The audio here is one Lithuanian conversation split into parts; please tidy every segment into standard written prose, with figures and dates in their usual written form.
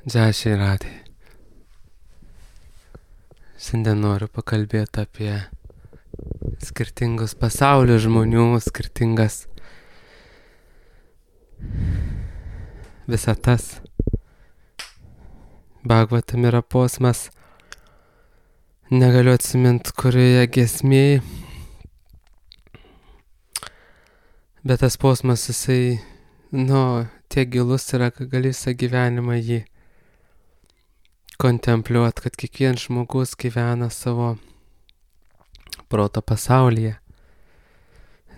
Džiašiai radai. Šiandien noriu pakalbėti apie skirtingus pasaulio žmonių, skirtingas visatas. Bhagavatam yra posmas, negaliu atsiminti, kurioje giesmėje, bet tas posmas jisai, tiek gilus yra, kad gali visą gyvenimą jį kontempliuot, kad kiekvienas žmogus gyvena savo proto pasaulyje.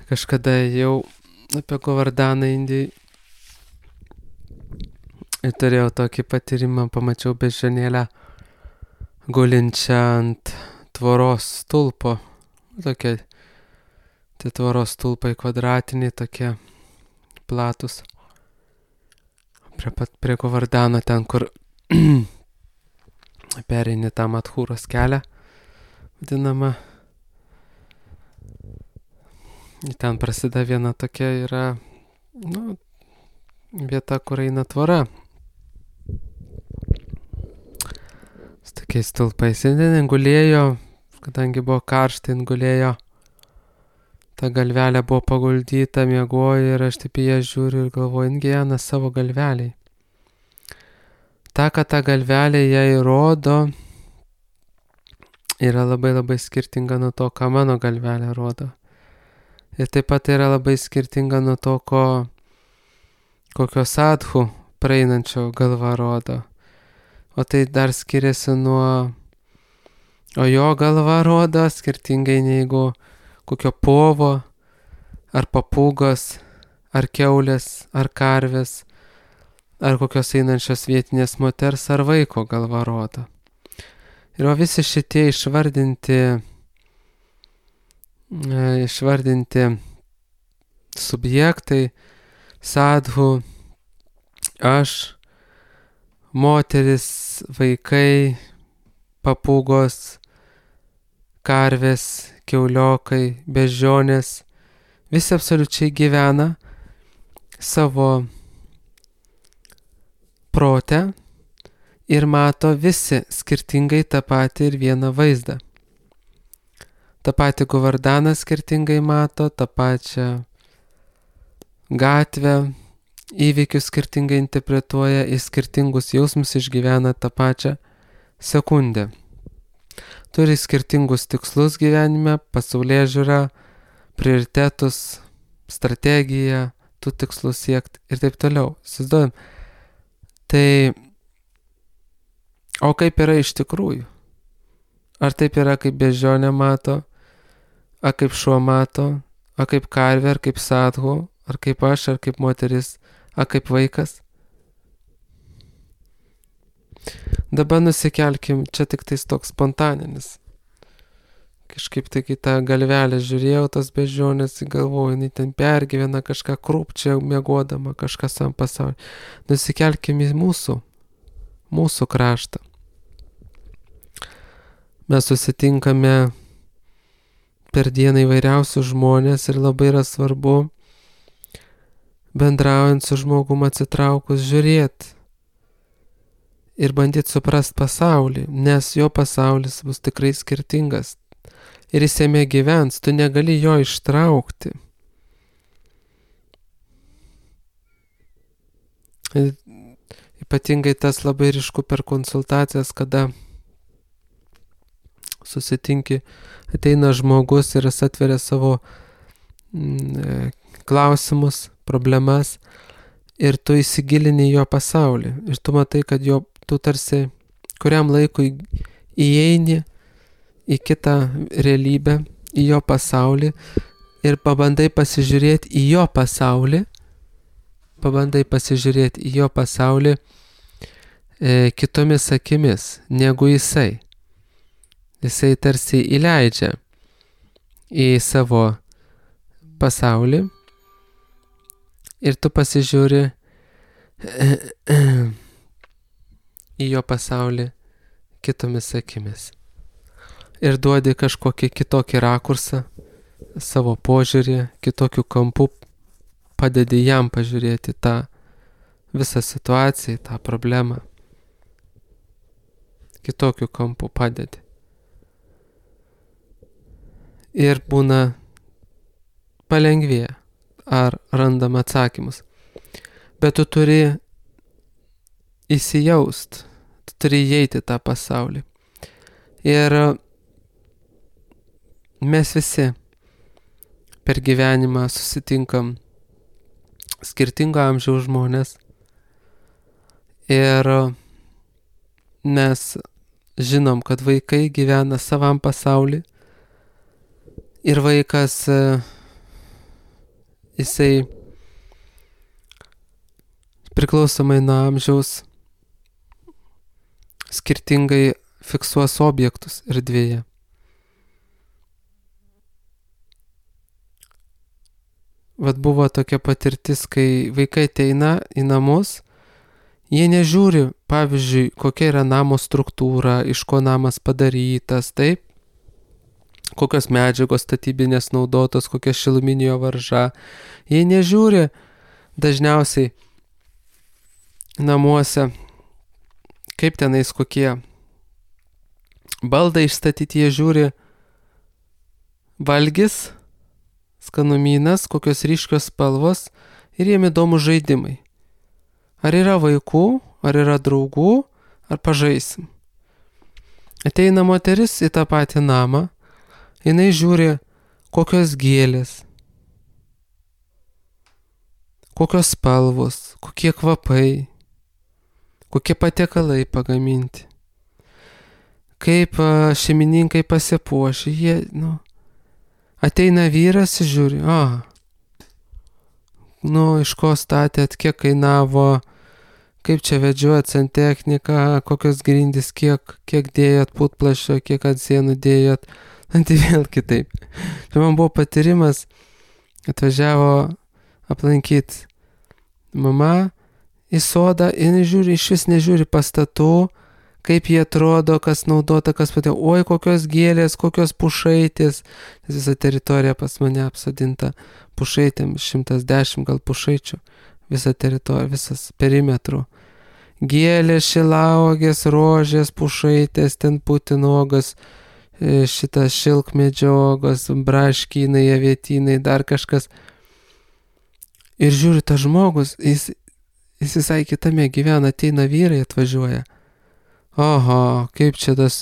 Kažkada jau apie Govardhaną Indijai turėjau tokį patyrimą, pamačiau beždžionėlę gulinčią ant tvoros stulpo. Tokie tvoros stulpai kvadratiniai, tokie platus. Prie Govardhano ten, kur pereini tą Madhūros kelią, vadinamą. Ten prasideda viena tokia yra, vieta, kur eina tvora. Su tokiais stulpais. Ten gulėjo, kadangi buvo karšta, gulėjo. Ta galvelė buvo paguldyta, miegojo ir aš taip į ją žiūriu ir galvoju, gyvena savo galveliai. Ta, kad ta galvelė jai rodo, yra labai labai skirtinga nuo to, ką mano galvelė rodo. Ir taip pat yra labai skirtinga nuo to, kokio sadhu praeinančio galva rodo. O tai dar skiriasi o jo galva rodo skirtingai negu kokio povo, ar papūgos, ar kiaulės, ar karvės, ar kokios einančios vietinės moters ar vaiko galva rodo. Ir visi šitie išvardinti subjektai, sadhu, aš, moteris, vaikai, papūgos, karvės, kiauliokai, beždžionės, visi absoliučiai gyvena savo prote ir mato visi skirtingai tą patį ir vieną vaizdą. Ta pati Govardhana skirtingai mato, tą pačią gatvę, įvykius skirtingai interpretuoja, į skirtingus jausmus išgyvena tą pačią sekundę. Turi skirtingus tikslus gyvenime, pasaulėžiūrą, prioritetus, strategiją, tų tikslų siekti ir taip toliau. Įsivaizduojam. Tai, o kaip yra iš tikrųjų? Ar taip yra, kaip beždžionė mato, ar kaip šuo mato, ar kaip karvė, ar kaip sadhu, ar kaip aš, ar kaip moteris, ar kaip vaikas? Dabar nusikelkim, čia tik tais toks spontaninis. Kažkaip tai, kai tą galvelę žiūrėjau, tos beždžionės, galvoju, jinai ten pergyvena kažką krūpčia, miegodama, kažką savo pasaulį. Nusikelkim į mūsų kraštą. Mes susitinkame per dieną įvairiausių žmonės ir labai yra svarbu, bendraujant su žmogum atsitraukus, žiūrėti ir bandyti suprast pasaulį, nes jo pasaulis bus tikrai skirtingas. Ir jis jame gyvens, tu negali jo ištraukti. Ypatingai tas labai ryšku per konsultacijas, kada susitinki, ateina žmogus ir jis atveria savo klausimus, problemas ir tu įsigilini jo pasaulį. Ir tu matai, kad tu tarsi kuriam laikui įeini į kitą realybę, į jo pasaulį ir pabandai pasižiūrėti į jo pasaulį, kitomis akimis negu jisai. Jisai tarsi įleidžia į savo pasaulį ir tu pasižiūri į jo pasaulį kitomis akimis. Ir duodi kažkokį kitokį rakursą, savo požiūrį, kitokių kampų, padedi jam pažiūrėti tą visą situaciją, tą problemą. kitokiu kampu padedi. Ir būna palengvėja, ar randam atsakymus. Bet tu turi įsijaust, tu turi įeiti tą pasaulį. Ir mes visi per gyvenimą susitinkam skirtingo amžiaus žmonės ir mes žinom, kad vaikai gyvena savam pasaulį ir vaikas, jisai priklausomai nuo amžiaus skirtingai fiksuos objektus erdvėje. Vat buvo tokia patirtis, kai vaikai ateina į namus, jie nežiūri, pavyzdžiui, kokia yra namo struktūra, iš ko namas padarytas, taip, kokios medžiagos statybinės naudotos, kokia šiluminio varža. Jie nežiūri dažniausiai namuose, kaip tenais kokie baldai išstatyti, jie žiūri valgis, skanumynas, kokios ryškios spalvos ir jiem įdomu žaidimai. Ar yra vaikų, ar yra draugų, ar pažaisim. Ateina moteris į tą patį namą, jinai žiūri, kokios gėlės, kokios spalvos, kokie kvapai, kokie patiekalai pagaminti, kaip šeimininkai pasipuošia, jie, ateina vyras ir žiūri, iš ko statėt, kiek kainavo, kaip čia vedžiojat santechniką, kokios grindys, kiek dėjot putplašio, kiek ant sienų dėjot, tai vėl kitaip. Tai man buvo patyrimas, atvažiavo aplankyti mama į sodą ir žiūri, iš vis nežiūri pastatų, kaip jie atrodo, kas naudota, kas patėjo, oi, kokios gėlės, kokios pušaitės. Visa teritorija pas mane apsodinta pušaitėm, 110 gal pušaičių, visa teritorija, visas perimetrų. Gėlės, šilauogės, rožės, pušaitės, ten putinogas, šitas šilkmedžiogos, braškynai, avietynai, dar kažkas. Ir žiūri, tas žmogus, jis visai kitame gyvena, ateina vyrai, atvažiuoja. Oho, kaip čia tas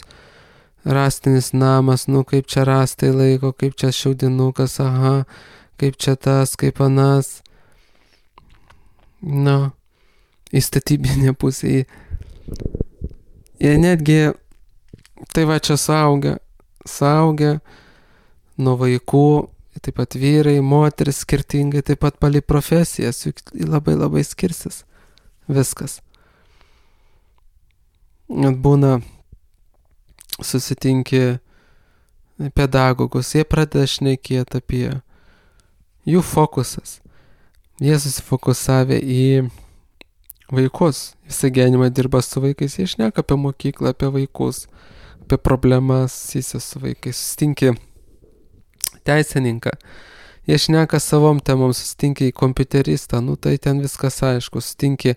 rastinis namas, kaip čia rastai laiko, kaip čia šiaudinukas, aha, kaip čia tas, kaip anas. Į statybinę pusę. Ir netgi, tai va čia suaugę nuo vaikų, taip pat vyrai, moteris skirtingai, taip pat palei profesijas, juk labai labai skirsis viskas. Būna susitinki pedagogus, jie pradeda šnekėti apie jų fokusas. Jie susifokusavę į vaikus, visą gyvenimą dirba su vaikais, jie šneka apie mokyklą, apie vaikus, apie problemas, jis su vaikais, susitinki teisininką, jie šneka savom temom, susitinki kompiuteristą, tai ten viskas aišku, susitinki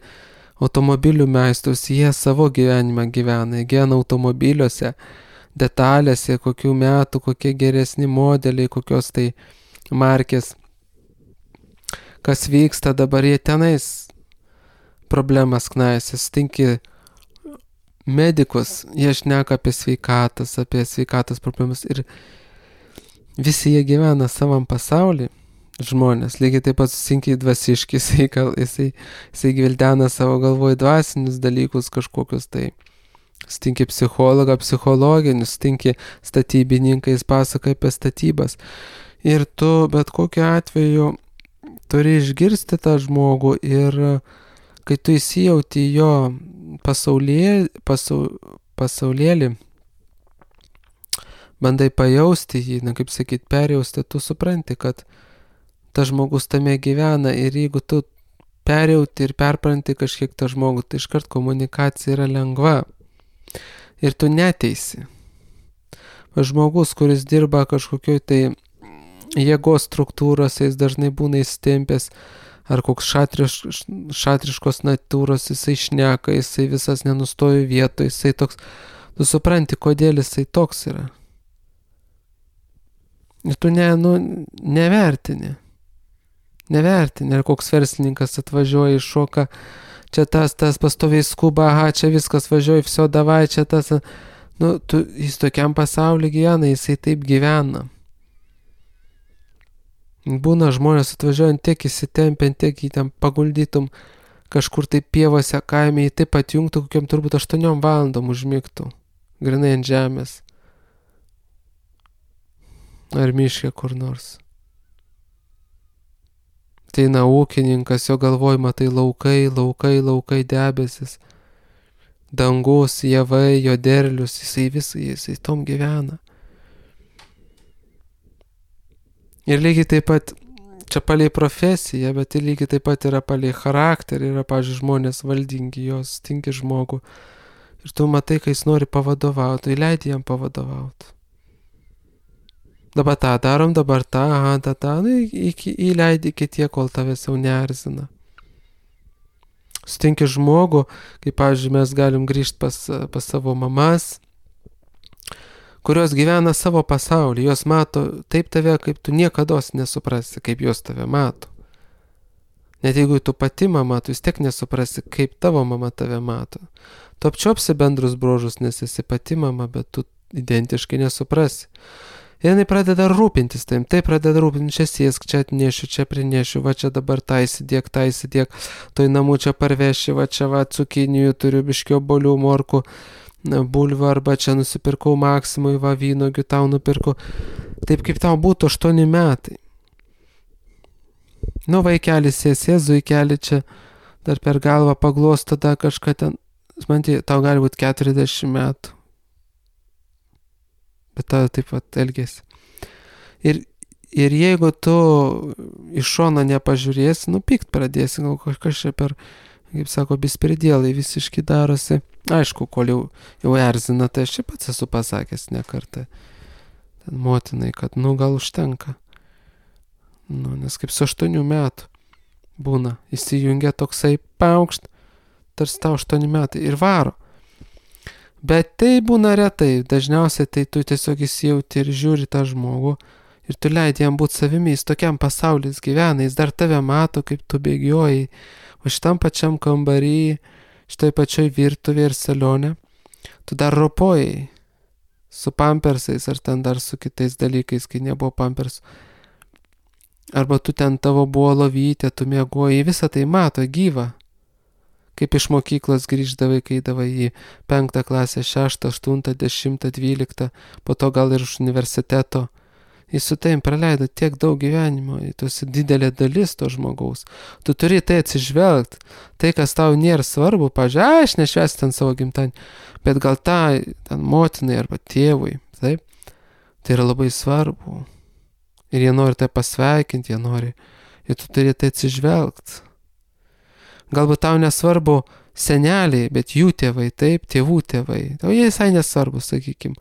automobilių meistrus, jie savo gyvenimą gyvena automobiliuose, detalėse, kokių metų, kokie geresni modeliai, kokios tai markės, kas vyksta dabar, jie tenais problemas knaisi, sutinki medikus, jie šneka apie sveikatos problemas ir visi jie gyvena savam pasaulį. Žmonės, lygiai taip pat susitinki dvasiški, jisai gvildena savo galvoj dvasinius dalykus kažkokius, tai sutinki psichologą, psichologinius, sutinki statybininkai, jis pasaka apie statybas. Ir tu bet kokiu atveju turi išgirsti tą žmogų ir kai tu įsijauti jo pasaulėlį, bandai pajausti jį, kaip sakyt, perjausti, tu supranti, kad tas žmogus tame gyvena ir jeigu tu perjauti ir perpranti kažkiek tą žmogų, tai iškart komunikacija yra lengva ir tu neteisi. Žmogus, kuris dirba kažkokioj tai jėgos struktūros, jis dažnai būna įstempęs ar koks šatriškos natūros, jisai šneka, jisai visas nenustoja vietoje, jisai toks Tu supranti, kodėl jisai toks yra. Ir tu nevertini. Nevertini, ar koks verslininkas atvažiuoja, iššoka, čia tas pastoviai skuba, aha, čia viskas važiuoja, viso davai, čia tas. Jis tokiam pasaulyje gyvena, jisai taip gyvena. Būna žmonės atvažiuojant tiek įsitempiant, tiek į ten paguldytum kažkur tai pievose, kaime, jį taip atjungtų, kokiam turbūt 8 valandom užmigtų, grinai ant žemės. Ar miške kur nors. Ateina ūkininkas, jo galvojama tai laukai debesis, dangus, javai, jo derlius, jisai tom gyvena. Ir lygiai taip pat, čia palei profesiją, bet ir lygiai taip pat yra palei charakterį, yra, pavyzdžiui, žmonės valdingi, jos tinki žmogų. Ir tu matai, kai jis nori pavadovauti, tai leidi jam pavadovauti. Dabar tą darom, dabar tą, įleidi iki tiek, kol tavęs jau neerzina. Sutinki žmogų, kaip, pavyzdžiui, mes galim grįžti pas savo mamas, kurios gyvena savo pasaulį, jos mato taip tave, kaip tu niekados nesuprasi, kaip jos tave mato. Net jeigu tu pati mama, tu vis tiek nesuprasi, kaip tavo mama tave mato. Tu apčiopsi bendrus bruožus, nes esi pati mama, bet tu identiškai nesuprasi. Ir jinai pradeda rūpintis taim, tai pradeda rūpintis, čia sėsk, čia atnešiu, čia prinešiu, va čia dabar tą įsidėk, toj namų čia parveši, va čia va cukinijų turiu, biškio bolių, morkų, bulvių, arba čia nusipirkau Maksimui, va vynogių tau nupirkau. Taip kaip tau būtų 8 metai. Vaikelis sės, zuikelį čia dar per galvą paglosto, tada kažką ten, man tau gali būti 40 metų. Bet tau taip pat elgėsi. Ir jeigu tu iš šono nepažiūrėsi, pykt pradėsi, gal kažkas čia per, kaip sako, bispridėlai visiškai darosi. Aišku, kol jau erzina, tai aš čia pats esu pasakęs ne kartą. Ten motinai, kad gal užtenka. Nes kaip su 8 metų būna, įsijungia toksai paukšt, tarsi tau 8 metai ir varo. Bet tai būna retai, dažniausiai tai tu tiesiog įsijauti ir žiūri tą žmogų ir tu leidi jam būti savimi, jis tokiam pasaulis gyvena, jis dar tave mato, kaip tu bėgioji, o šitam pačiam kambarį, šitoj pačioj virtuvėje ir salione, tu dar ropojai su pampersais ar ten dar su kitais dalykais, kai nebuvo pampersų. Arba tu ten tavo buvo lovytė, tu miegojai, visą tai mato, gyva. Kaip iš mokyklos grįždavai, kai eidavai į 5 klasę, 6, 8, 10, 12, po to gal ir iš universiteto. Jis su taim praleido tiek daug gyvenimo, tu esi didelė dalis to žmogaus. Tu turi tai atsižvelgti. Tai, kas tau nėra svarbu, pažiūrėjau, aš nešvęsiu ten savo gimtadienį, bet gal ten motinai arba tėvui, taip, tai yra labai svarbu. Ir jie nori tai pasveikinti, ir tu turi tai atsižvelgti. Galbūt tau nesvarbu seneliai, bet jų tėvai, taip, tėvų tėvai. O jie visai nesvarbu, sakykim.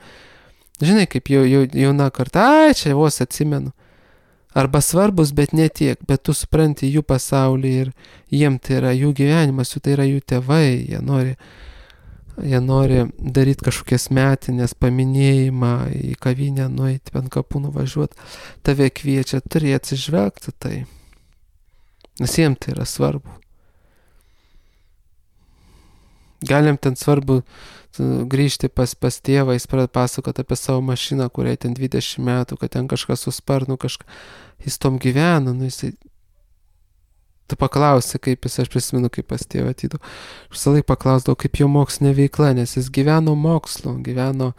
Žinai, kaip jauna karta, čia vos atsimenu. Arba svarbus, bet ne tiek, bet tu supranti jų pasaulį ir jiem tai yra jų gyvenimas, tai yra jų tėvai, jie nori daryti kažkokias metinės, paminėjimą, į kavinę nueiti, ant kapų nuvažiuoti, tave kviečia, turi atsižvelgti tai. Nes jiem tai yra svarbu. Galim ten svarbu grįžti pas tėvą, jis pradeda pasakoti apie savo mašiną, kuriai ten 20 metų, kad ten kažkas su sparnu, jis tom gyvena, tu paklausi, kaip jis, aš prisimenu, kaip pas tėvą atydau, visą laiką paklausdavau, kaip jo mokslinė veikla, nes jis gyveno mokslu, gyveno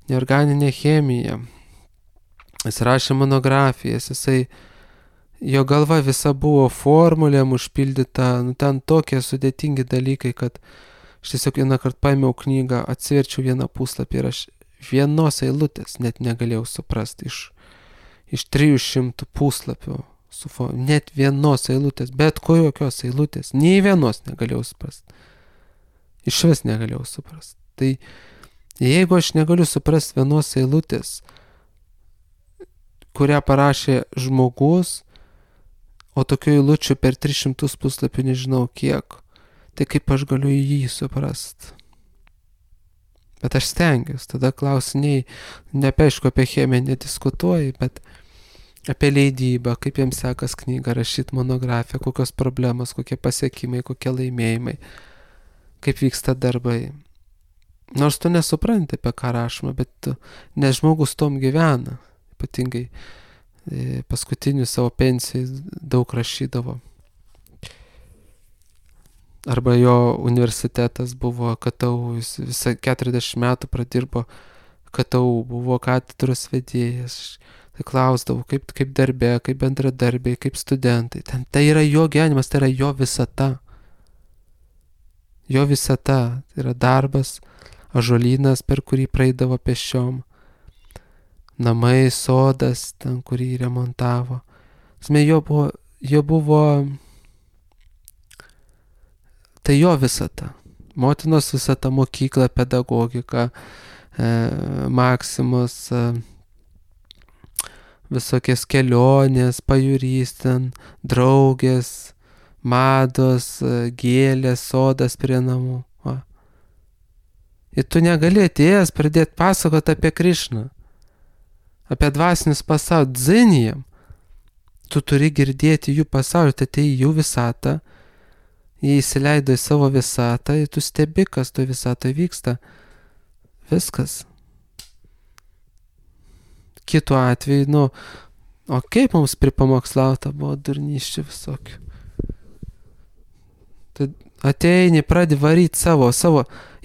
neorganinė chemija, jis rašė monografijas, jo galva visa buvo formulėm užpildyta, ten tokie sudėtingi dalykai, kad aš tiesiog vieną kartą paėmiau knygą, atsiverčiau vieną puslapį ir aš vienos eilutės net negalėjau suprasti iš 300 puslapių, net vienos eilutės, bet kokios eilutės, nei vienos negalėjau suprasti. Iš vis negalėjau suprasti. Tai jeigu aš negaliu suprasti vienos eilutės, kurią parašė žmogus, o tokių eilučių per 300 puslapių nežinau kiek, tai kaip aš galiu jį suprasti? Bet aš stengiuosi, tada klausiniai, neaišku, apie chemiją nediskutuoju, bet apie leidybą, kaip jiems sekas knygą rašyti, monografiją, kokios problemos, kokie pasiekimai, kokie laimėjimai, kaip vyksta darbai. Nors tu nesupranti, apie ką rašoma, bet nes žmogus tom gyvena, ypatingai paskutinių savo pensijai daug rašydavo. Arba jo universitetas buvo KTU, jis visą 40 metų pradirbo KTU, buvo katedros vedėjas. Tai klausdavau, kaip darbe, kaip bendradarbiai, kaip studentai. Tai yra jo gyvenimas, tai yra jo visata. Jo visata, tai yra darbas, ąžuolynas, per kurį praeidavo pėsčiom, namai, sodas, ten, kurį remontavo. Jo buvo tai jo visata. Motinos visata, mokykla, pedagogika, Maksimos, visokies kelionės, pajūrys ten, draugės, mados, gėlės, sodas prie namų. Va. Ir tu negali atėjęs pradėti pasakoti apie Krišną, apie dvasinius pasaulį, dzinijam. Tu turi girdėti jų pasaulį, tai atėjai jų visatą, jie įsileido į savo visatą ir tu stebi, kas toje visatoje vyksta. Viskas. Kitu atveju, o kaip mums pripamokslauta buvo durnyščių visokių. Tai ateini, pradedi varyti savo,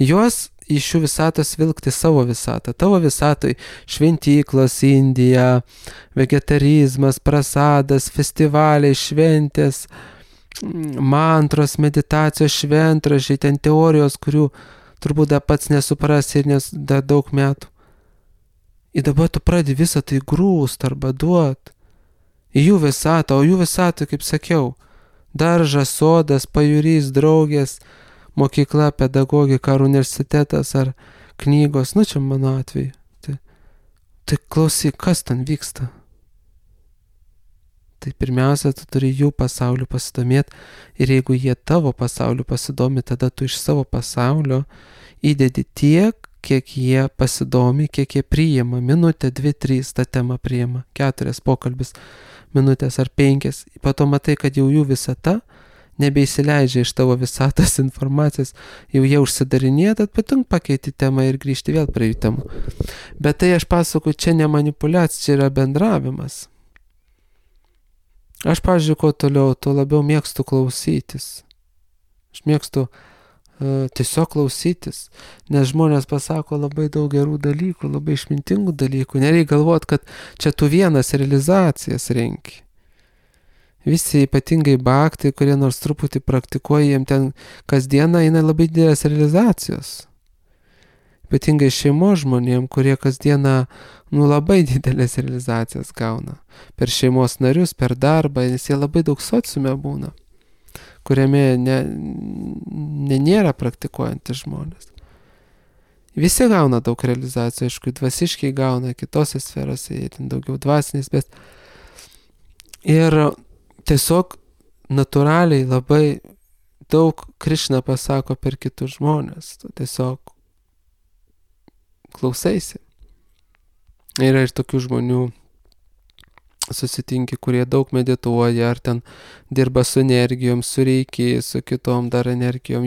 juos iš šių visatos vilkti savo visatą. Tavo visatoj šventyklos, Indija, vegetarizmas, prasadas, festivaliai, šventės, mantros, meditacijos, šventražiai, ten teorijos, kurių turbūt dar pats nesuprasi ir dar daug metų. Ir dabar tu pradedi visą tai grūst arba duot į jų visatą, o jų visatą, kaip sakiau, daržas, sodas, pajūrys, draugės, mokykla, pedagogika ar universitetas ar knygos, čia mano atveju. Tai klausyk, kas ten vyksta? Tai pirmiausia, tu turi jų pasauliu pasidomėti ir jeigu jie tavo pasauliu pasidomi, tada tu iš savo pasaulio įdedi tiek, kiek jie pasidomi, kiek jie priima. Minutę, 2, 3 tą temą priima, 4 pokalbis, minutės ar 5. Po to matai, kad jau jų visata nebeįsileidžia iš tavo visatos informacijos, jau jie užsidarinėja, tad patunk pakeiti temą ir grįžti vėl prie jų temų. Bet tai aš pasakoju, čia ne manipuliacija, čia yra bendravimas. Aš, pavyzdžiui, kuo toliau, tuo labiau mėgstu klausytis. Aš mėgstu tiesiog klausytis, nes žmonės pasako labai daug gerų dalykų, labai išmintingų dalykų. Nereikia galvoti, kad čia tu vienas realizacijas renki. Visi ypatingai baktai, kurie nors truputį praktikuoja, jiem ten kasdieną eina labai didelės realizacijos. Ypatingai šeimos žmonėm, kurie kasdieną labai didelės realizacijas gauna. Per šeimos narius, per darbą, nes jie labai daug sociume būna, kuriame nėra praktikuojantys žmonės. Visi gauna daug realizacijų, aišku, dvasiškai gauna kitose sferose, jie ten daugiau dvasinės, bet ir tiesiog natūraliai labai daug Krišna pasako per kitus žmonės, tu tiesiog klausaisi. Yra ir tokių žmonių susitinki, kurie daug medituoja, ar ten dirba su energijom, su reikiai, su kitom dar energijom.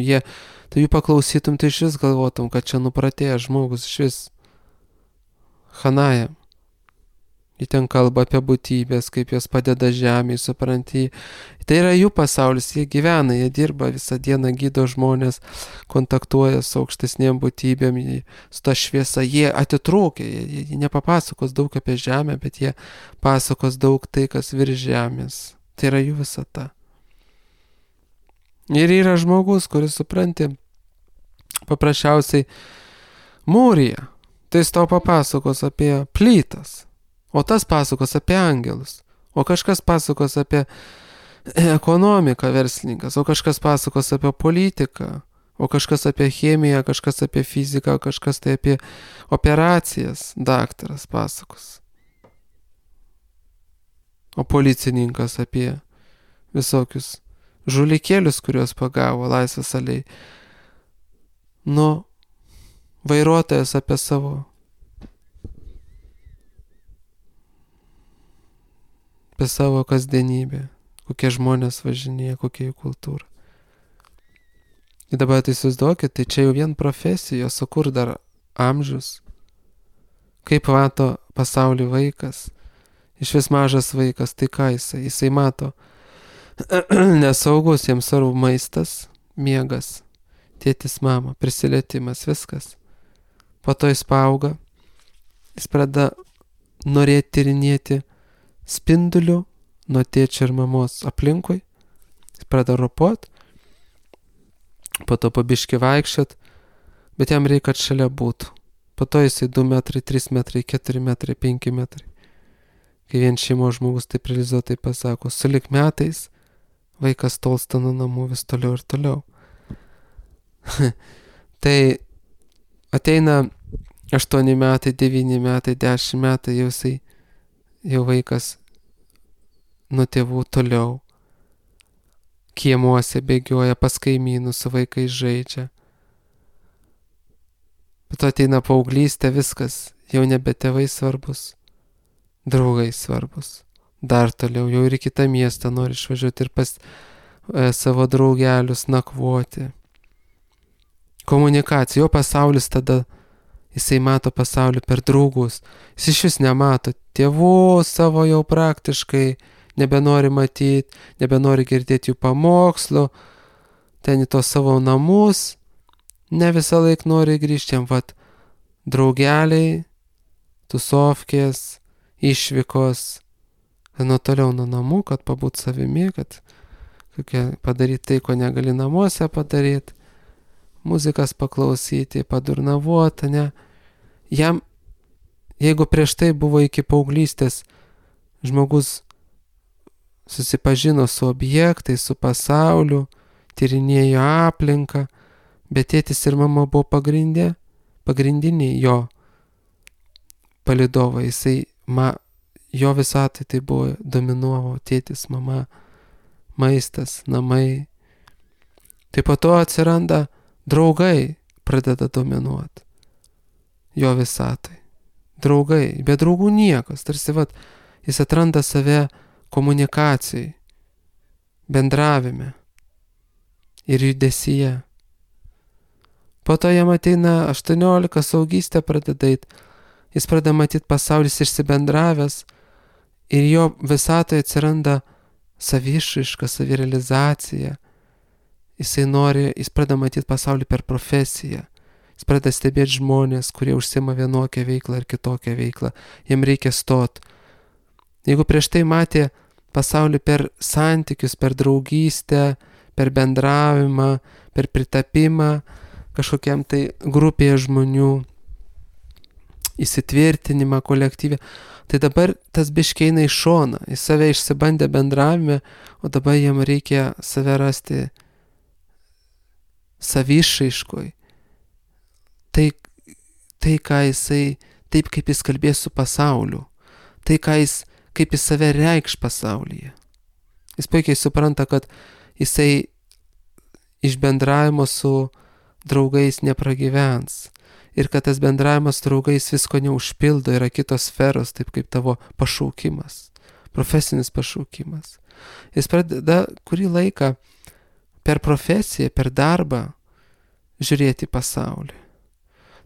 Tai jų paklausytum, tai iš vis galvotum, kad čia nupratėjęs žmogus, iš vis Hanaja. Jie ten kalba apie būtybės, kaip jos padeda žemėje, supranti. Tai yra jų pasaulis, jie gyvena, jie dirba visą dieną, gydo žmonės, kontaktuoja su aukštesnėm būtybėm, su ta šviesa. Jie atitrūkia, jie nepapasakos daug apie žemę, bet jie pasakos daug tai, kas virš žemės. Tai yra jų visata. Ir yra žmogus, kuris, supranti, paprasčiausiai mūrija. Tai jis tau papasakos apie plytas. O tas pasakos apie angelus, o kažkas pasakos apie ekonomiką verslininkas, o kažkas pasakos apie politiką, o kažkas apie chemiją, kažkas apie fiziką, kažkas tai apie operacijas, daktaras pasakos. O policininkas apie visokius žulikėlius, kuriuos pagavo Laisvės alėjai. vairuotojas apie savo kasdienybę, kokie žmonės važinėja, kokia jų kultūra. Ir dabar tai įsivaizduokit, tai čia jau vien profesijos, o kur dar amžius? Kaip mato pasaulį vaikas? Iš vis mažas vaikas, tai ką jisai mato? Nesaugus, jiems svarbu maistas, miegas, tėtis, mama, prisilietimas, viskas. Po to jis paauga, jis pradeda norėti tyrinėti spindulių nuo tėčio ir mamos aplinkui, jis pradeda ropot, po to pabiški vaikščiot, bet jam reikia, kad šalia būtų. Po to jisai 2 metrai, 3 metrai, 4 metrai, 5 metrai. Kai vien šeimos žmogus taip realizuotai pasako, sulig metais vaikas tolsta nuo namų vis toliau ir toliau. Tai ateina 8 metai, 9 metai, 10 metai, jau vaikas nuo tėvų toliau. Kiemuose bėgioja, pas kaimynus su vaikais žaidžia. Bet ateina paauglystė, viskas, jau nebe tėvai svarbus, draugai svarbus. Dar toliau, jau ir į kitą miestą nori išvažiuoti ir pas savo draugelius nakvoti. Komunikacija, jo pasaulis tada, jisai mato pasaulį per draugus. Jis iš vis nemato tėvų savo jau praktiškai, nebenori matyti, nebenori girdėti jų pamokslų, ten į tos savo namus, ne visą laiką nori grįžti, jam draugeliai, tusovkės, išvykos, nuo toliau nuo namų, kad pabūt savimi, kad padaryti tai, ko negali namuose padaryti, muzikas paklausyti, padurnavuoti, ne. Jam, jeigu prieš tai buvo iki paauglystės, žmogus susipažino su objektais, su pasauliu, tyrinėjo aplinką, bet tėtis ir mama buvo pagrindiniai jo palydovai. Jo visatai tai buvo dominuovo tėtis, mama, maistas, namai. Tai po to atsiranda draugai, pradeda dominuoti jo visatai. Draugai, be draugų niekas, tarsi jis atranda save komunikacijai, bendravime ir judesyje. Po to jam ateina 18, saugystė pradeda eit, jis pradeda matyti pasaulis išsibendravęs ir jo visatoje atsiranda savišraiška, savirealizacija. Jis pradeda matyti pasaulį per profesiją. Jis pradeda stebėti žmonės, kurie užsiima vienokią veiklą ar kitokią veiklą. Jam reikia stot. Jeigu prieš tai matė pasaulį per santykius, per draugystę, per bendravimą, per pritapimą kažkokiam tai grupėje žmonių, įsitvirtinimą kolektyvę, tai dabar tas biškiai eina į šoną, jis save išsibandė bendravime, o dabar jam reikia save rasti savišraiškoj. Tai ką jisai, taip kaip jis kalbės su pasauliu, tai kaip jis save reikš pasaulyje. Jis puikiai supranta, kad jisai iš bendravimo su draugais nepragyvens ir kad tas bendravimas su draugais visko neužpildo, yra kitos sferos, taip kaip tavo pašaukimas, profesinis pašaukimas. Jis pradeda kurį laiką per profesiją, per darbą žiūrėti pasaulį.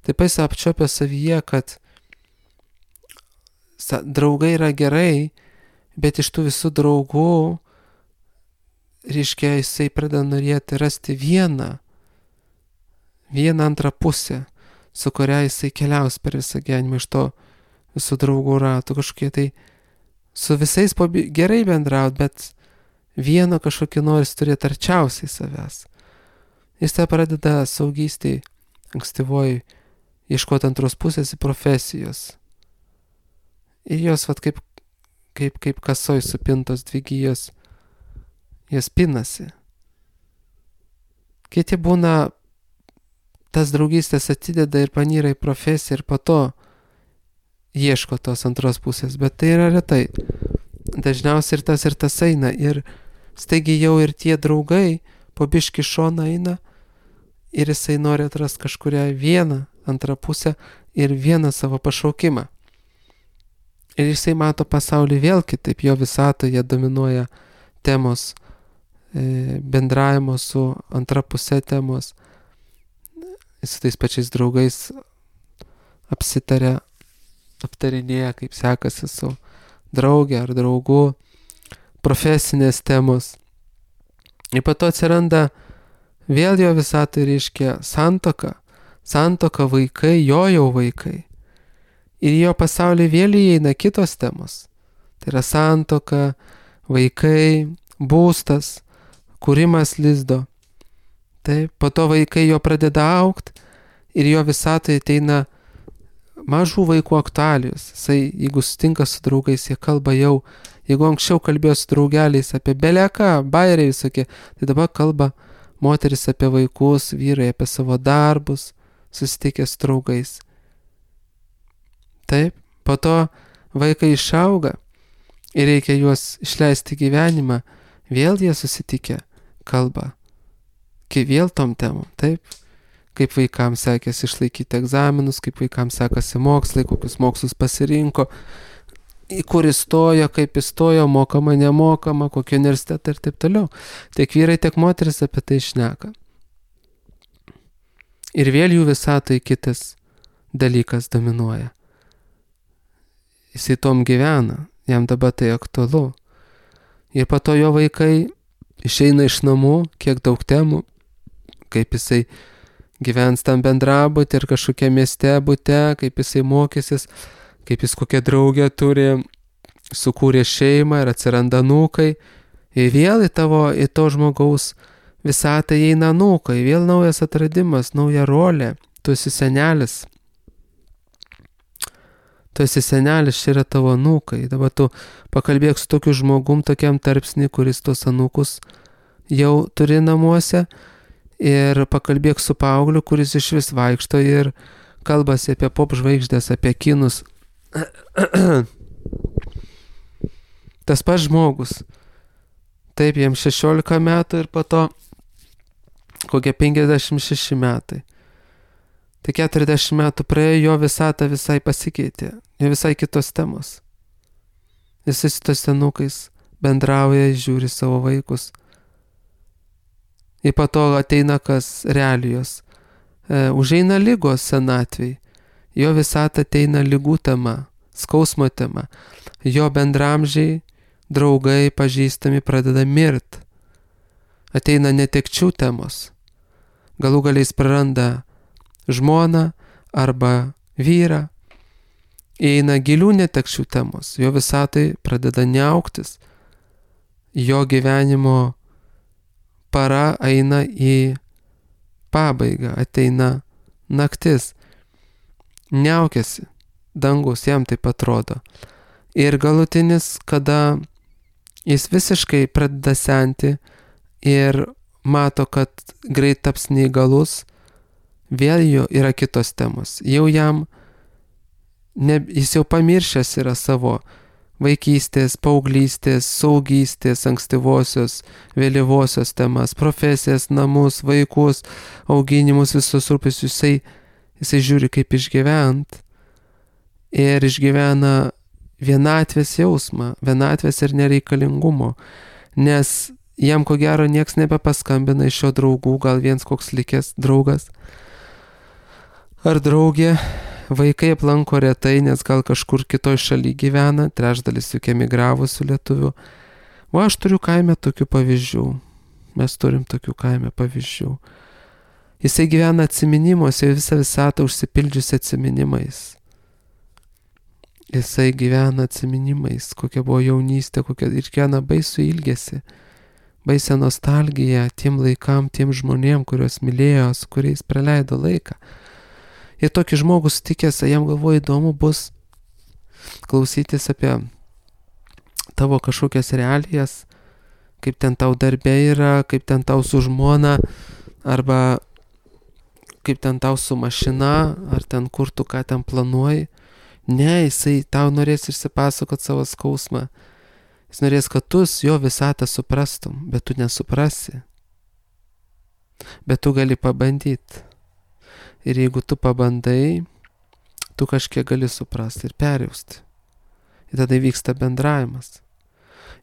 Taip jis apčiopia savyje, kad draugai yra gerai, bet iš tų visų draugų, reiškia, jisai pradeda norėti rasti vieną antrą pusę, su kuria jisai keliaus per visą gyvenimą iš to visų draugų ratų, kažkokie tai su visais gerai bendraut, bet vieno kažkokį noris turėti arčiausiai savęs. Jis tą pradeda saugystėj, ankstyvoj, ieškoti antros pusės į profesijos. Ir jos kaip kasoj supintos dvi gijos, jos pinasi. Kiti būna, tas draugystės atideda ir panyra į profesiją ir po to ieško tos antros pusės, bet tai yra retai. Dažniausiai ir tas eina ir staigiai jau ir tie draugai po biškį šoną eina ir jisai nori atrasti kažkurią vieną antrą pusę ir vieną savo pašaukimą. Ir jisai mato pasaulį vėl kitaip, jo visatoje dominuoja temos, bendravimo su antra pusė temos. Jis su tais pačiais draugais aptarinėja, kaip sekasi su draugė ar draugu, profesinės temos. Ir po to atsiranda vėl jo visatoje reiškia santuoka, vaikai, jo vaikai. Ir jo pasaulyje vėl įeina kitos temos. Tai yra santuoka, vaikai, būstas, kūrimas lizdo. Taip, po to vaikai jo pradeda augti ir jo visatoje ateina mažų vaikų aktualijos. Jisai, jeigu sutinka su draugais, jie kalba jau, jeigu anksčiau kalbėjo su draugeliais apie beleką, bairiai visokie, tai dabar kalba moteris apie vaikus, vyrai apie savo darbus, susitikę su draugais. Taip, po to vaikai išauga ir reikia juos išleisti gyvenimą, vėl jie susitikę kalba, kai vėl tom temom, taip, kaip vaikams sekėsi išlaikyti egzaminus, kaip vaikams sekasi mokslai, kokius mokslus pasirinko, į kur įstojo, kaip įstojo, mokama, nemokama, kokį universitetą ir taip toliau. Tiek vyrai, tiek moteris apie tai šneka. Ir vėl jų visatoje kitas dalykas dominuoja. Jisai tom gyvena, jam dabar tai aktualu. Ir po to jo vaikai išeina iš namų, kiek daug temų, kaip jisai gyvens tam bendrabutį ir kažkokia mieste bute, kaip jisai mokysis, kaip jis kokią draugę turi, sukūrė šeimą ir atsiranda anūkai. Ir vėl į to žmogaus visatą įeina anūkai, vėl naujas atradimas, nauja rolė, tu esi senelis. Tu esi senelis, čia yra tavo anūkai. Dabar tu pakalbėk su tokiu žmogum, tokiam tarpsnį, kuris tos anūkus jau turi namuose, ir pakalbėk su paaugliu, kuris iš vis vaikšto ir kalbasi apie pop žvaigždės, apie kinus. Tas pats žmogus. Taip, jam 16 metų ir po to kokie 56 metai. Tai 40 metų praėjo, jo visata visai pasikeitė, jo visai kitos temos. Jis su tos senukais bendrauja, žiūri savo vaikus. Ir po to ateina kas realijos. Užeina lygos senatvėj. Jo visata ateina lygų tema, skausmo tema. Jo bendramžiai, draugai, pažįstami pradeda mirt. Ateina netekčių temos. Galų galiais praranda žmoną arba vyrą. Įeina gilių netekčių temos. Jo visatai pradeda neauktis. Jo gyvenimo para eina į pabaigą, ateina naktis. Niaukiasi dangus, jam taip atrodo. Ir galutinis, kada jis visiškai pradeda senti ir mato, kad greit taps neįgalus, vėl jo yra kitos temos. Jau jam, jis jau pamiršęs yra savo vaikystės, paauglystės, saugystės, ankstyvosios, vėlyvosios temas, profesijas, namus, vaikus, auginimus, visus rūpesčius. Jisai žiūri, kaip išgyvent. Ir išgyvena vienatvės jausmą, vienatvės ir nereikalingumo. Nes jam ko gero nieks nebepaskambina iš jo draugų, gal viens koks likęs draugas ar draugė. Vaikai aplanko retai, nes gal kažkur kitoj šaly gyvena, trečdalis juk emigravusių lietuvių. O aš turiu kaime tokių pavyzdžių. Mes turim tokių kaime pavyzdžių. Jisai gyvena atsiminimuose, visą visatą užsipildžiusi atsiminimais. Jisai gyvena atsiminimais, kokia buvo jaunystė, ir kiekvieną baisų ilgesį, baisę nostalgiją tiem laikam, tiem žmonėm, kuriuos mylėjo, su kuriais praleido laiką. Ir tokį žmogų sutikęs, jam galvoju įdomu bus klausytis apie tavo kažkokias realijas, kaip ten tau darbė yra, kaip ten tau su žmona, arba kaip ten tau su mašina, ar ten kur tu ką ten planuoji. Ne, jisai tau norės išsipasakot savo skausmą. Jis norės, kad tu jo visatą suprastum, bet tu nesuprasi. Bet tu gali pabandyti. ir jeigu tu pabandai, tu kažkiek gali suprasti ir perjausti. Ir tada vyksta bendravimas.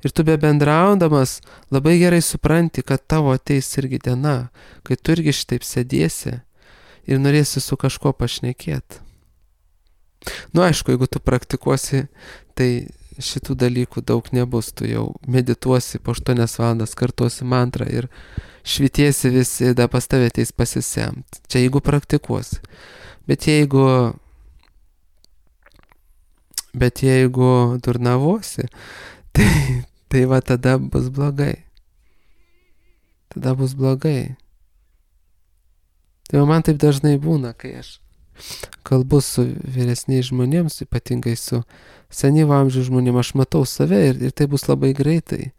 Ir tu be bendraudamas labai gerai supranti, kad tavo ateis irgi diena, kai tu irgi šitaip sėdėsi ir norėsi su kažkuo pašnekėti. Aišku, jeigu tu praktikuosi, tai šitų dalykų daug nebus. Tu jau medituosi po 8 valandas, kartuosi mantrą ir švitiesi visi, da pas tave ateis pasisemt. Čia jeigu praktikuosi. Bet jeigu durnavosi, tai va tada bus blogai. Tada bus blogai. Tai man taip dažnai būna, kai aš kalbu su vyresniais žmonėms, ypatingai su senyvo amžiaus žmonėms, aš matau save ir tai bus labai greitai.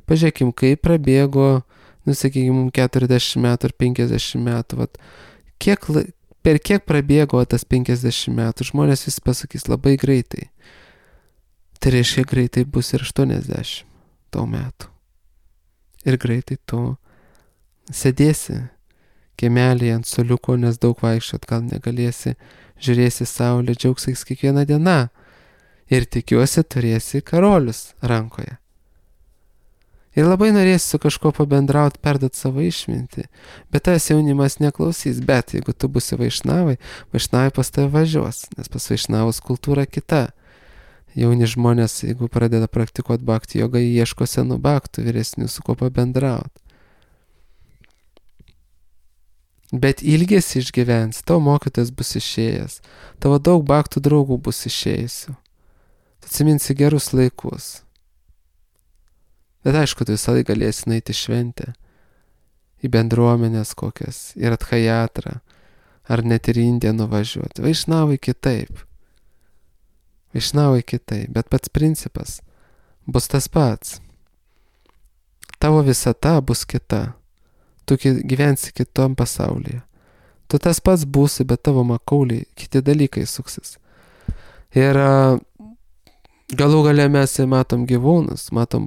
Pažiūrėkim, kai prabėgo, sakykime, 40 metų ar 50 metų, vat, per kiek prabėgo tas 50 metų, žmonės visi pasakys labai greitai. Tai reiškia, greitai bus ir 80 tau metų. Ir greitai tu sėdėsi kiemelėje ant suoliuko, nes daug vaikščiot gal negalėsi, žiūrėsi saulę, džiaugsies kiekvieną dieną. Ir tikiuosi turėsi karolius rankoje. Ir labai norėsi su kažkuo pabendrauti, perduoti savo išmintį. Bet tas jaunimas neklausys. Bet jeigu tu būsi vaišnavai pas tave važiuos, nes pas vaišnavus kultūra kita. Jauni žmonės, jeigu pradeda praktikuoti bhakti jogą, ieško senų bhaktų, vyresnių, su kuo pabendrauti. Bet ilgesi išgyvens, tavo mokytas bus išėjęs, tavo daug bhaktų draugų bus išėjusių. Tu atsiminsi gerus laikus. Bet aišku, tu visą laiką galėsi nueiti šventę, į bendruomenės kokias, į Radhajatrą, ar net ir į Indiją nuvažiuoti. Vaišnavai kitaip. Bet pats principas bus tas pats. Tavo visata bus kita. Tu gyvensi kitom pasaulyje. Tu tas pats būsi, bet tavo makauliai, kiti dalykai suksis. Ir galų gale mes matom gyvūnus, matom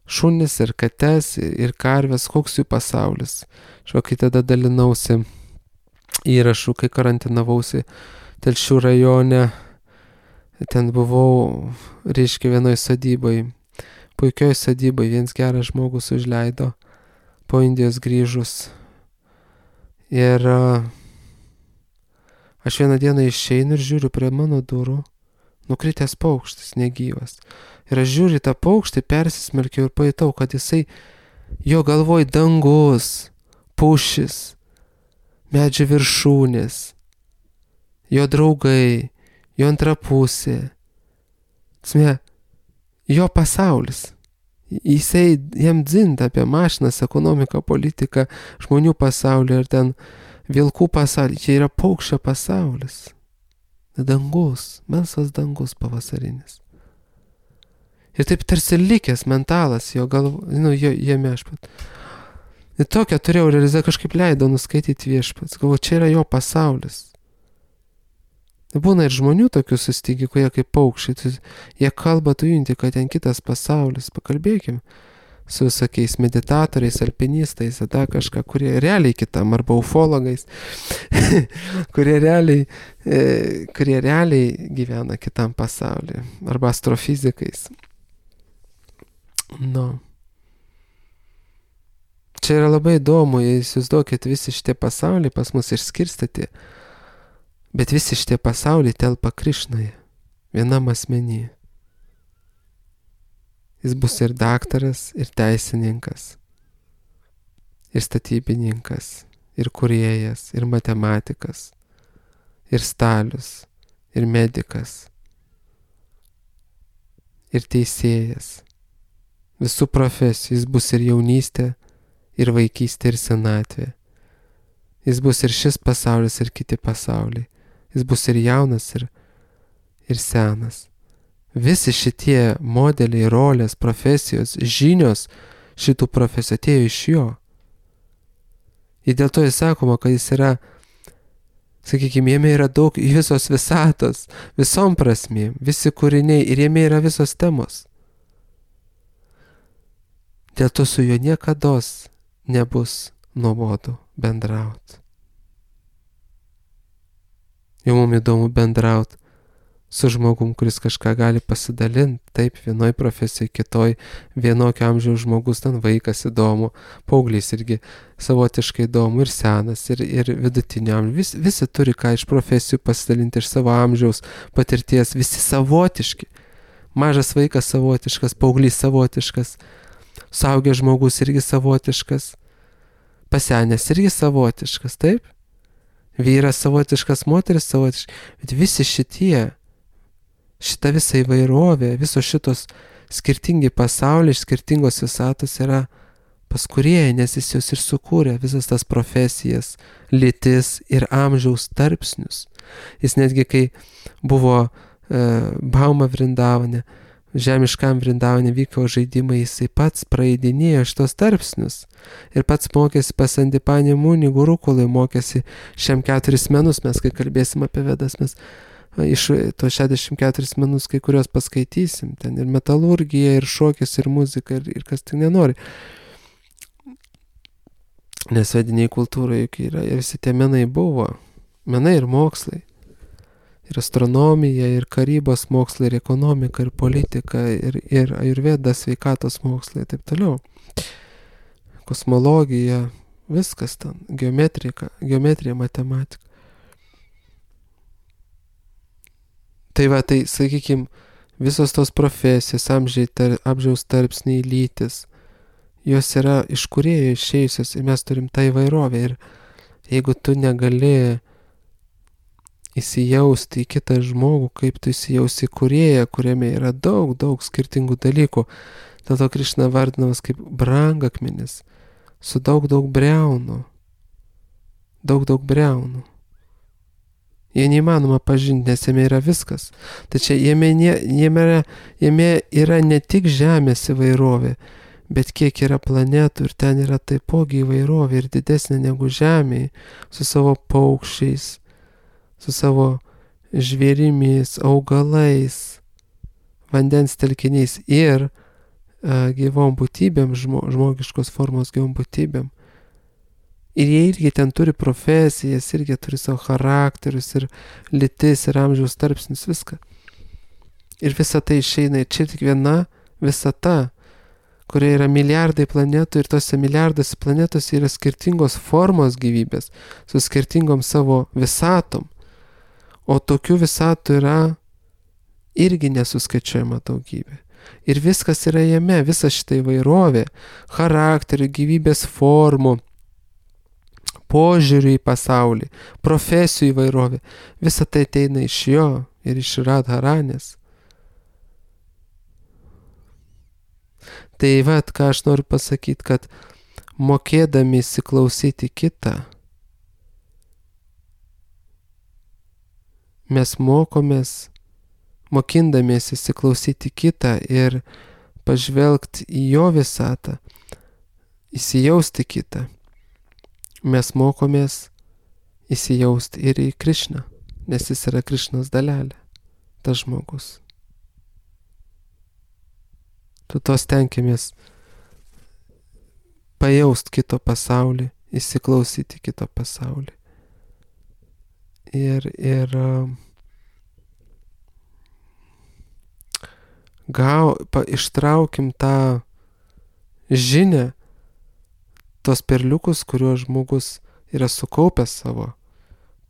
šunis ir kates ir karves, koks jų pasaulis. Kai tada dalinausi įrašų, kai karantinavausi Telšių rajone, ten buvau, reiškia, vienoj sodyboj, puikioj sodyboj, vienas geras žmogus užleido po Indijos grįžus. Ir aš vieną dieną išeinu ir žiūriu prie mano durų, nukritęs paukštis, negyvas. Ir aš žiūriu tą paukštį, persismelkiau ir pajutau, kad jisai, jo galvoj dangus, pušis, medžio viršūnės, jo draugai, jo antra pusė. Jo pasaulis. Jisai jam dzinta apie mašinas, ekonomiką, politiką, žmonių pasaulį ir ten vilkų pasaulį. Čia yra paukščio pasaulis. Dangus, melsvas dangus pavasarinis. Ir taip tarsi likęs mentalas jo jame aš pat. Ir tokią turėjau realizaciją, kažkaip leido nuskaityti viešpats. Galvoju, čia yra jo pasaulis. Būna ir žmonių tokių susitiki, kurie kaip paukščiai, jie kalba, tu junti, kad ten kitas pasaulis. Pakalbėkim su visokiais meditatoriais, alpinistais, tada kažką, kurie realiai kitam, arba ufologais, kurie realiai gyvena kitam pasaulyje, arba astrofizikais. Čia yra labai įdomu, jei įsivaizduokit, visi šitie pasauliai pas mus išskirstyti. Bet visi šitie pasauliai telpa Krišnoje, vienam asmenyje. Jis bus ir daktaras, ir teisininkas, ir statybininkas, ir kūrėjas, ir matematikas, ir stalius, ir medikas, ir teisėjas. Visų profesijų. Jis bus ir jaunystė, ir vaikystė, ir senatvė. Jis bus ir šis pasaulis, ir kiti pasauliai. Jis bus ir jaunas, ir senas. Visi šitie modeliai, rolės, profesijos, žinios šitų profesijų atėjo iš jo. Ir dėl to jis sakoma, kad jis yra, sakykime, jame yra daug visos visatos, visom prasmėm, visi kūriniai ir jame yra visos temos. Dėl to su juo niekados nebus nuobodu bendrauti. Jau mums įdomu bendrauti su žmogum, kuris kažką gali pasidalinti, taip, vienoj profesijai, kitoj, vienokio amžiaus žmogus, ten vaikas įdomu, paauglys irgi savotiškai įdomu, ir senas, ir vidutinio amžiaus. Visi turi ką iš profesijų pasidalinti, iš savo amžiaus patirties, visi savotiški. Mažas vaikas savotiškas, paauglys savotiškas, suaugęs žmogus irgi savotiškas, pasenęs irgi savotiškas, taip? Vyras savotiškas, moteris savotiškas, bet visi šita visa įvairovė, visos šitos skirtingi pasauliai iš skirtingos visatos yra pas Kūrėją, nes jis jos ir sukūrė, visas tas profesijas, lytis ir amžiaus tarpsnius. Jis netgi, kai buvo Bauma Vrindavane, žemiškam Vrindavane vyko žaidimai, jisai pats praeidinėjo šitos tarpsnius. Ir pats mokėsi pas Andipanį Mūnį, Gurukulai mokėsi 4 menus, mes kai kalbėsim apie Vedas, mes iš to 64 menus kai kurios paskaitysim. Ten ir metalurgija, ir šokis, ir muzika, ir kas tik nenori. Nes vediniai kultūroje juk yra, ir visi tie menai buvo. Menai ir mokslai. Ir astronomija, ir karybos mokslai, ir ekonomika, ir politika, ir ajurveda, sveikatos mokslai, ir taip toliau. Kosmologija, viskas ten, geometrija, matematika. Tai va, tai, sakykime, visos tos profesijos, amžiaus tarpsniai, lytis, jos yra iš Kūrėjo išėjusios ir mes turim tą įvairovę. Ir jeigu tu negali įsijausti į kitą žmogų, kaip tu įsijausi į Kūrėją, kuriame yra daug skirtingų dalykų, dėl to Krišna vardinamas kaip brangakmenis, su daug breunų. Daug breunų. Jie neįmanoma pažinti, nes jame yra viskas. Tačiau jame yra ne tik žemės įvairovė, bet kiek yra planetų ir ten yra taipogi įvairovė ir didesnė negu žemėje, su savo paukščiais, su savo žvėrimis, augalais, vandens telkiniais ir gyvom būtybėm, žmogiškos formos gyvom būtybėm. Ir jie irgi ten turi profesijas, irgi turi savo charakterius, ir lytis, ir amžiaus tarpsnius, viską. Ir visa tai išeina, ir čia tik viena visata, kurioje yra milijardai planetų, ir tose milijardose planetose yra skirtingos formos gyvybės, su skirtingom savo visatom. O tokių visatų yra irgi nesuskaičiuojama daugybė. Ir viskas yra jame, visa šita įvairovė, charakterių, gyvybės formų, požiūrį į pasaulį, profesijų įvairovė, visa tai ateina iš jo ir iš Radharanės. Tai vat, ką aš noriu pasakyti, kad mokėdami įsiklausyti kitą, mes mokindamiesi įsiklausyti kitą ir pažvelgti į jo visatą, įsijausti kitą, mes mokomės įsijausti ir į Krišną, nes jis yra Krišnos dalelė, tas žmogus. To stenkimės pajaust kito pasaulį, įsiklausyti kito pasaulį. Ir ištraukim tą žinią, tos perliukus, kuriuos žmogus yra sukaupęs savo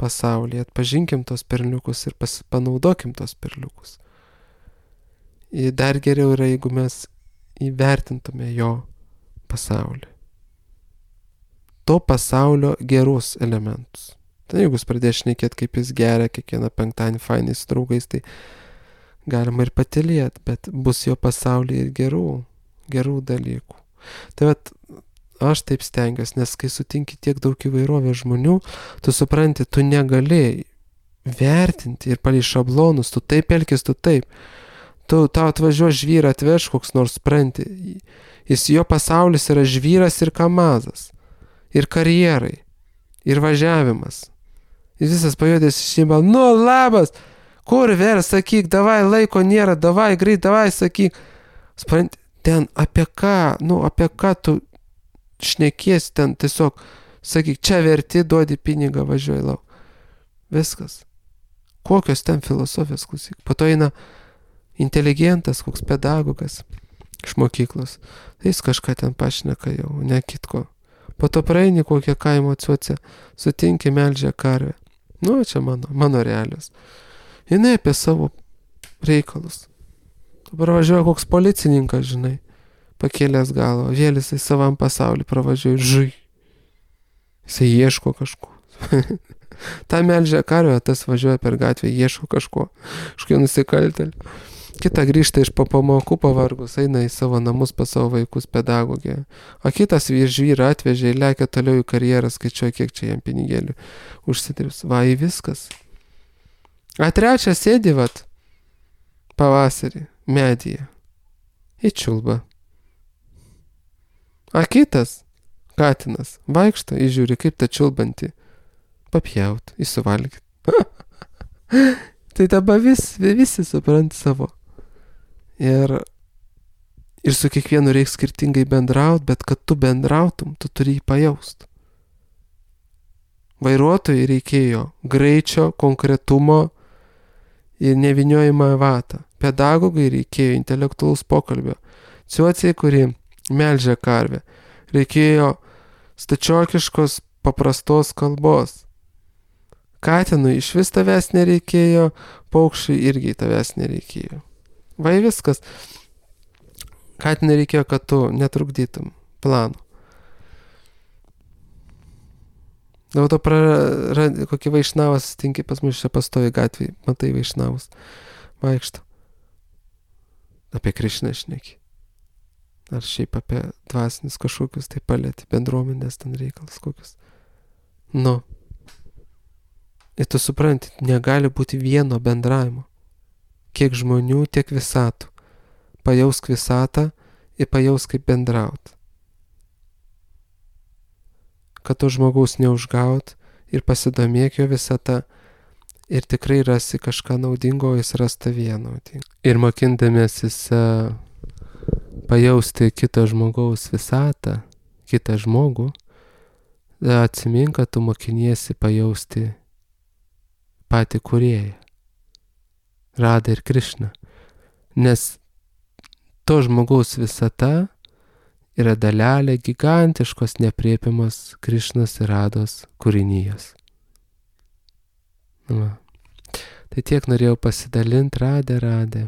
pasaulyje. Atpažinkim tos perliukus ir panaudokim tos perliukus. Ir dar geriau yra, jeigu mes įvertintume jo pasaulį. To pasaulio gerus elementus. Tai jeigu jis pradės šnekėti, kaip jis geria kiekvieną penktadienį fainai su draugais, tai galima ir patylėti, bet bus jo pasaulyje ir gerų dalykų. Tai vat, aš taip stengiuosi, nes kai sutinki tiek daug įvairovės žmonių, tu supranti, tu negali vertinti ir palei šablonus, tu taip elkis, tu taip. Tau atvažiuos žvyrą atveš koks nors, supranti. Jo pasaulis yra žvyras ir kamazas, ir karjerai, ir važiavimas. Ir visas pajudės šeima, nu labas, kur ver, sakyk, davai, laiko nėra, davai, greit, davai, sakyk. Supranti, ten apie ką tu šnekiesi, ten tiesiog, sakyk, čia verti, duodi pinigą, važiuoji lauk. Viskas. Kokios ten filosofijos, klausyk. Po to eina inteligentas, koks pedagogas iš mokyklos. Tai jis kažką ten pašneka jau, ne kitko. Po to praeini kokią kaimo atsiuoce, sutinki melžia karvę. Nu, čia mano realios. Jinai apie savo reikalus. Dabar važiuoja koks policininkas, žinai, pakėlęs galvą, vėl jisai savam pasaulį pravažiuoja, žai. Jisai ieško kažko. Ta melžia karvę, tas važiuoja per gatvę, ieško kažkokio nusikaltėlio. Kita grįžta iš pamokų pavargus, eina į savo namus pas savo vaikus pedagogė. O kitas žvyrą atvežė ir lekia toliau į karjerą, skaičiuoja, kiek čia jam pinigėlių užsidirbs. Va, į viskas. A trečias sėdi, vat, pavasarį, medyje, į čiulbą. A kitas, katinas, vaikšto, įžiūri, kaip ta čiulbanti, papjaut, įsuvalgyt. Tai dabar visi suprant savo. Ir su kiekvienu reikia skirtingai bendraut, bet kad tu bendrautum, tu turi jį pajaust. Vairuotojai reikėjo greičio, konkretumo ir neviniojimą vatą. Pedagogai reikėjo intelektualaus pokalbio. Ciuociai, kuri melžia karvę, reikėjo stačiokiškos paprastos kalbos. Katinui iš vis tavęs nereikėjo, paukščiui irgi tavęs nereikėjo. Va viskas. Katinui reikėjo, kad tu netrukdytum plano. Dėl to kokį vaišnavas sutinki pas mus čia pastovi gatvėje, matai vaišnavus, vaikšto. Apie Krišną šneki. Ar šiaip apie dvasinius kažkokius, tai palėti bendruomenės ten reikalus kokius. Nu. Ir tu supranti, negali būti vieno bendravimo. Kiek žmonių, tiek visatų. Pajausk visatą ir pajausk kaip bendraut. Kad to žmogaus neužgaut ir pasidomėk jo visata ir tikrai rasi kažką naudingo, jis ras tavyje naudingo. Ir mokindamėsis pajausti kito žmogaus visatą, kitą žmogų, atsimink, kad tu mokiniesi pajausti patį kūrėją, Radą ir Krišną. Nes to žmogaus visata yra dalelė gigantiškos neaprėpiamos Krišnos ir Rados kūrinijos. Va. Tai tiek norėjau pasidalinti, Radė.